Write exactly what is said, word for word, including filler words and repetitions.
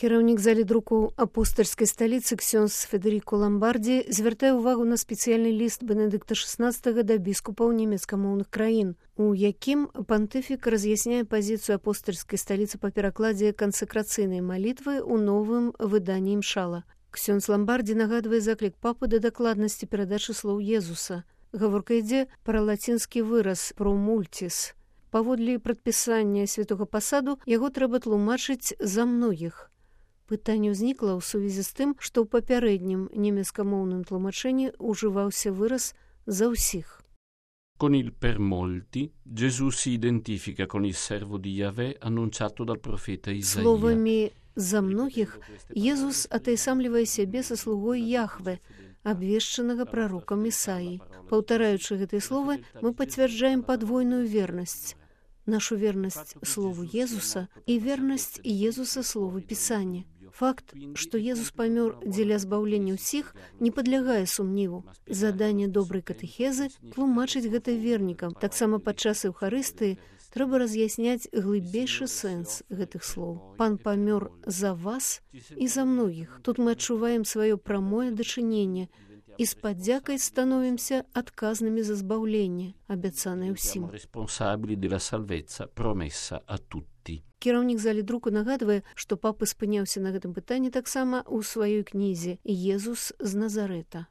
Кіраўнік залі друку апостальскай сталіцы ксёндз Федэріко Ламбардзі звяртае ўвагу на спецыяльны ліст Бенедыкта шаснаццатага да біскупаў нямецкамоўных краін, у якім пантыфік раз'ясняе пазіцыю апостальскай сталіцы па перакладзе кансакрацыйнай малітвы ў новым выданні імшала. Ксёндз Ламбардзі нагадвае заклік папы да дакладнасці перадачы слоў Езуса. Гаворка ідзе пра лацінскі выраз «pro multis». Паводле прадпісання святога пасаду яго трэба тлумачыць «за многіх». Пытанне ўзнікла ў сувязі з тым, што ў папярэднім нямецкамоўным тлумачэнні ўжываўся выраз «за ўсіх». Con il per molti, Gesù si identifica con il servo di Yahweh annunciato dal profeta Isaia. Словамі «за многіх» Езус атайсамлівае сябе са слугой Яхве, абвешчанага прарокам Ісаі. Паўтараючы гэтыя словы, мы пацвярджаем падвойную вернасць. Нашу вернасць слову Езуса і вернасць Езуса слову Пісання. Факт, што Езус памёр дзеля збаўлення ўсіх, не падлягае сумніву. Заданне добрай катэхезы – тлумачыць гэта вернікам. Таксама падчас Еўхарыстыі трэба раз'ясняць глыбейшы сэнс гэтых слоў. Пан памёр за вас і за многіх. Тут мы адчуваем сваё прамое дачыненне і з падзякай становімся адказнымі за збаўленне, абяцанае ўсім. Кіраўнік залі друку нагадвае, што папа спыняўся на гэтым пытанні таксама ў сваёй кнізе «Езус з Назарэта».